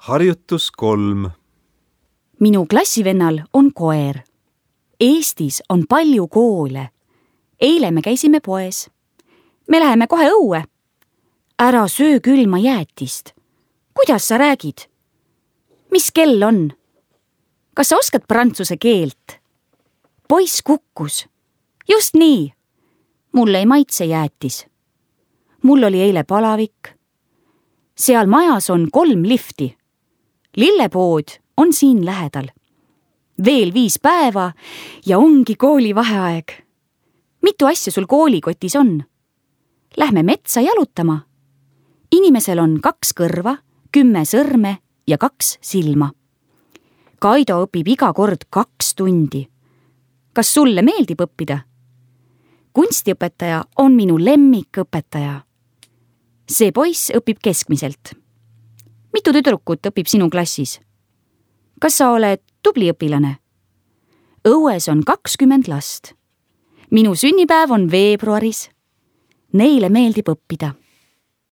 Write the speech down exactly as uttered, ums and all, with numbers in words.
Harjutus kolm. Minu klassivennal on koer. Eestis on palju koole. Eile me käisime poes. Me läheme kohe õue. Ära söö külma jäätist. Kuidas sa räägid? Mis kell on? Kas sa oskad prantsuse keelt? Poiss kukkus. Just nii. Mulle ei maitse jäätis. Mul oli eile palavik. Seal majas on kolm lifti. Lillepood on siin lähedal. Veel viis päeva ja ongi koolivaheaeg. Mitu asja sul koolikotis on? Lähme metsa jalutama. Inimesel on kaks kõrva, kümme sõrme ja kaks silma. Kaido õpib iga kord kaks tundi. Kas sulle meeldib õppida? Kunstiõpetaja on minu lemmikõpetaja. See poiss õpib keskmiselt. Mitu tüdrukut õpib sinu klassis? Kas sa oled tubli õpilane? Õues on kakskümmend last. Minu sünnipäev on veebruaris. Neile meeldib õppida.